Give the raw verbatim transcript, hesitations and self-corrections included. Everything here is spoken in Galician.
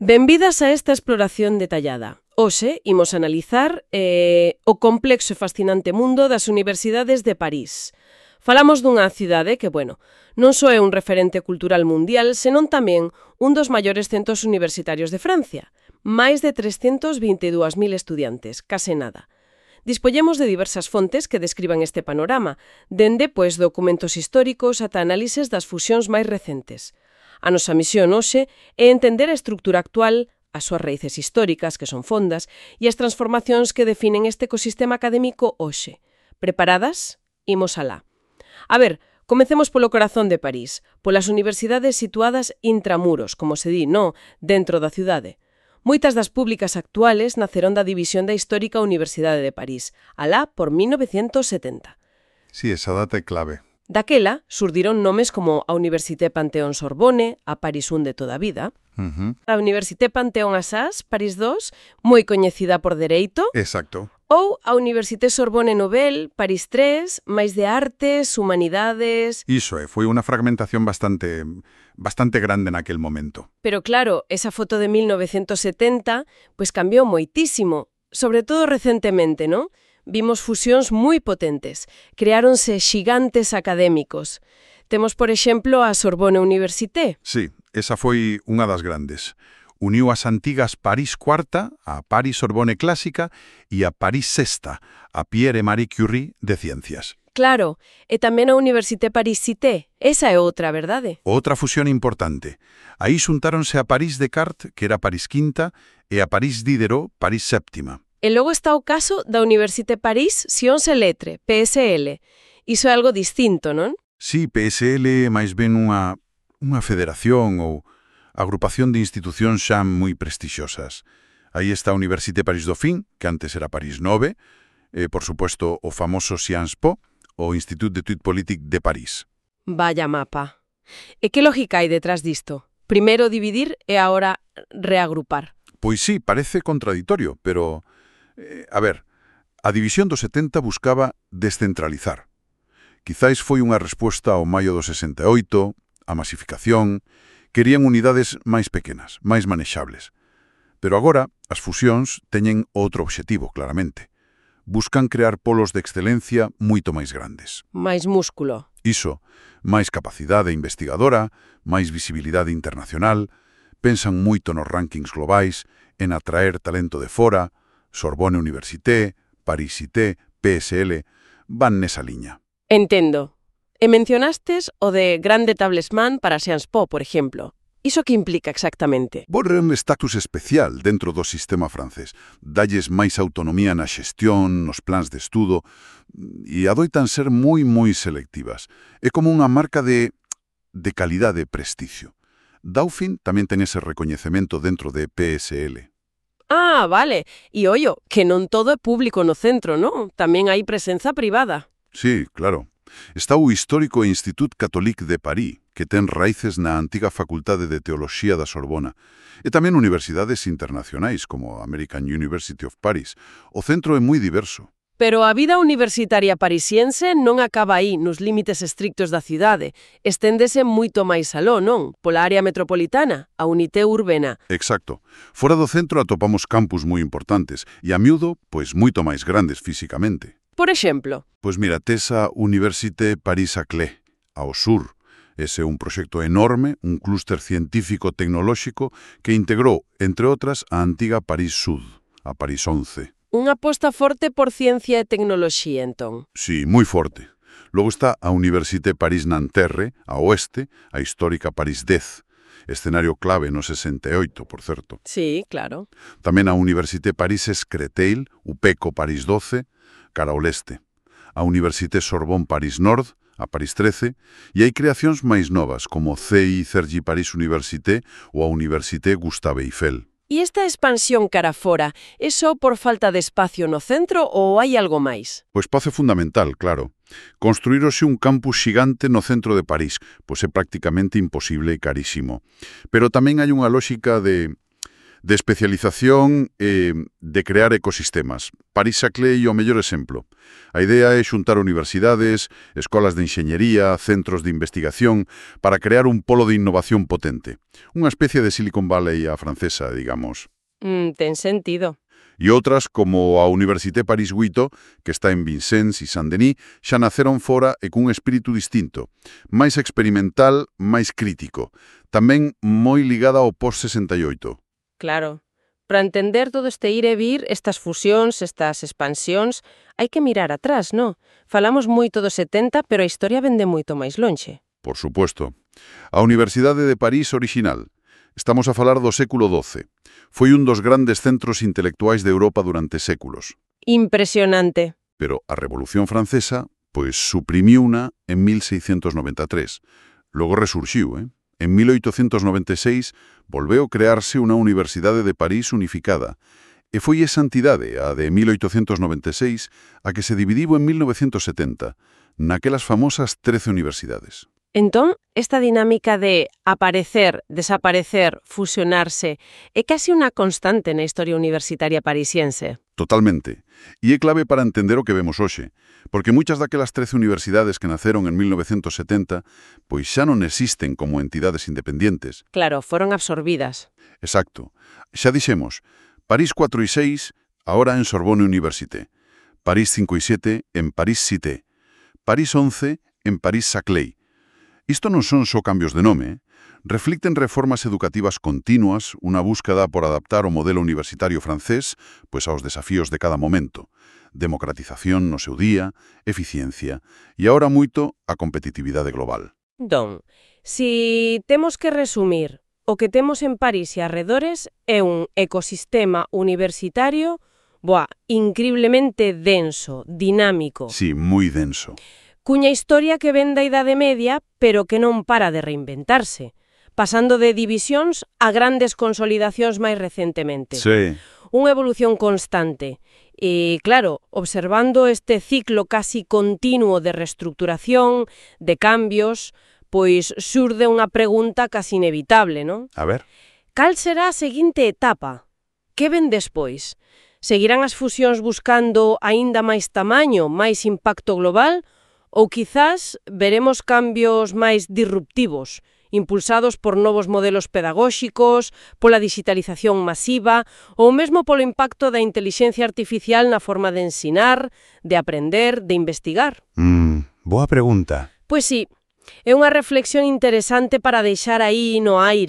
Benvidas a esta exploración detallada. Hoxe imos analizar eh, o complexo e fascinante mundo das universidades de París. Falamos dunha cidade que, bueno, non só é un referente cultural mundial, senón tamén un dos maiores centros universitarios de Francia. Máis de trescentos vinte e dúas mil estudiantes, case nada. Dispoñemos de diversas fontes que describan este panorama, dende, pois, documentos históricos ata análises das fusións máis recentes. A nosa misión hoxe é entender a estrutura actual, as súas raíces históricas, que son fondas, e as transformacións que definen este ecosistema académico hoxe. Preparadas? Imos alá. A ver, comecemos polo corazón de París, polas universidades situadas intramuros, como se di, no, dentro da cidade. Moitas das públicas actuales naceron da división da histórica Universidade de París, alá por mil novecentos setenta. Sí, esa data é clave. Daquela surdiron nomes como a Université Panteón-Sorbonne, a París un de toda a vida, Uh-huh. a Université Panteón-Assas, París dos, moi coñecida por dereito, Exacto. ou a Université Sorbonne Nobel, París tres, máis de artes, humanidades... Iso é, foi unha fragmentación bastante bastante grande naquel momento. Pero claro, esa foto de mil novecentos setenta pois cambiou moitísimo, sobre todo recentemente, non? Vimos fusións moi potentes, creáronse xigantes académicos. Temos, por exemplo, a Sorbonne Université. Sí, esa foi unha das grandes. Uniu as antigas París cuarta, a París Sorbonne Clásica e a París sexta, a Pierre e Marie Curie de Ciencias. Claro, e tamén a Université París-Cité. Esa é outra, verdade? Outra fusión importante. Aí xuntáronse a París Descartes, que era París quinta, e a París Diderot, París séptima. E logo está o caso da Université París Sciences et Lettres, P S L. Iso é algo distinto, non? Sí, P S L é máis ben unha, unha federación ou agrupación de institucións xa moi prestixiosas. Aí está a Université París Dauphine, que antes era París nove, e, por suposto, o famoso Sciences Po, o Institut d'Études Politiques de París. Vaya mapa. E que lógica hai detrás disto? Primeiro dividir e agora reagrupar. Pois sí, parece contraditorio, pero, eh, a ver, a división dos setenta buscaba descentralizar. Quizáis foi unha resposta ao maio do sesenta e oito, a masificación, querían unidades máis pequenas, máis manexables. Pero agora as fusións teñen outro obxectivo, claramente. Buscan crear polos de excelencia moito máis grandes. Mais músculo. Iso, máis capacidade investigadora, máis visibilidade internacional, pensan moito nos rankings globais, en atraer talento de fora, Sorbonne Université, París Cité, P S L, van nesa liña. Entendo. E mencionastes o de Grand Etablissement para Sciences Po, por exemplo. Iso que implica exactamente? Borre un estatus especial dentro do sistema francés. Dalles máis autonomía na xestión, nos plans de estudo, e adoitan ser moi, moi selectivas. É como unha marca de, de calidade e prestigio. Dauphine tamén ten ese recoñecemento dentro de P S L. Ah, vale. E ollo, que non todo é público no centro, non? Tamén hai presenza privada. Sí, claro. Está o histórico Institut Catholique de París, que ten raíces na antiga Facultade de Teoloxía da Sorbona, e tamén universidades internacionais, como a American University of Paris. O centro é moi diverso. Pero a vida universitaria parisiense non acaba aí, nos límites estrictos da cidade. Esténdese moito máis aló, non? Pola área metropolitana, a Unité Urbana. Exacto. Fora do centro atopamos campus moi importantes, e a miúdo, pois moito máis grandes físicamente. Por exemplo, Pois mira, tes a Université París-Saclay, ao sur. Ese é un proxecto enorme, un clúster científico-tecnolóxico que integrou, entre outras, a antiga París Sud, a París once. unha aposta forte por ciencia e tecnoloxía, entón. Sí, moi forte. Logo está a Université París-Nanterre, a oeste, a histórica París dez, escenario clave no sesenta e oito, por certo. Sí, claro. Tamén a Université París-Créteil, UPECO París doce, cara ao leste. A Université Sorbonne París Nord, a París trece, e hai creacións máis novas, como C I Cergy París Université ou a Université Gustave Eiffel. E esta expansión cara fora, é só por falta de espacio no centro ou hai algo máis? O espazo é fundamental, claro. Construírose un campus xigante no centro de París, pois é prácticamente imposible e carísimo. Pero tamén hai unha lógica de, De especialización e de crear ecosistemas. París-Saclay é o mellor exemplo. A idea é xuntar universidades, escolas de enxeñería, centros de investigación, para crear un polo de innovación potente. Unha especie de Silicon Valley a francesa, digamos. Mm, ten sentido. E outras, como a Université París oito, que está en Vincennes e Saint-Denis, xa naceron fora e cun espírito distinto, máis experimental, máis crítico, tamén moi ligada ao post sesenta e oito. Claro. Para entender todo este ir e vir, estas fusións, estas expansións, hai que mirar atrás, non? Falamos moito dos setenta, pero a historia vende moito máis lonxe. Por supuesto. A Universidade de París original. Estamos a falar do século doce. Foi un dos grandes centros intelectuais de Europa durante séculos. Impresionante. Pero a Revolución Francesa, pois, suprimiuna en mil seiscentos noventa e tres. Logo resurxiu, eh? En mil oitocentos noventa e seis volveu crearse unha Universidade de París unificada. E foi esa entidade, a de mil oitocentos noventa e seis, a que se dividiu en mil novecentos setenta, naquelas famosas trece universidades. Entón, esta dinámica de aparecer, desaparecer, fusionarse, é casi unha constante na historia universitaria parisiense. Totalmente. E é clave para entender o que vemos hoxe, porque muchas daquelas trece universidades que naceron en mil novecentos setenta pois xa non existen como entidades independientes. Claro, foron absorbidas. Exacto. Xa dixemos, París cuatro e seis, ahora en Sorbonne Université. París cinco e sete en París Cité. París once en París-Saclay. Isto non son só cambios de nome, eh? Reflicten reformas educativas continuas, unha búsqueda por adaptar o modelo universitario francés pois aos desafíos de cada momento. Democratización no seu día, eficiencia e agora moito a competitividade global. Don, si temos que resumir, o que temos en París e arredores é un ecosistema universitario, boa, increíblemente denso, dinámico. Sí, moi denso. Cuña historia que ven da Idade Media, pero que non para de reinventarse, pasando de divisións a grandes consolidacións máis recentemente. Sí. Unha evolución constante. E, claro, observando este ciclo casi continuo de reestructuración, de cambios, pois xurde unha pregunta casi inevitable, non? A ver. Cal será a seguinte etapa? Que ven despois? Seguirán as fusións buscando aínda máis tamaño, máis impacto global? Ou quizás veremos cambios máis disruptivos, impulsados por novos modelos pedagóxicos, pola digitalización masiva ou mesmo polo impacto da intelixencia artificial na forma de ensinar, de aprender, de investigar? Mm, boa pregunta. Pois sí, é unha reflexión interesante para deixar aí no aire.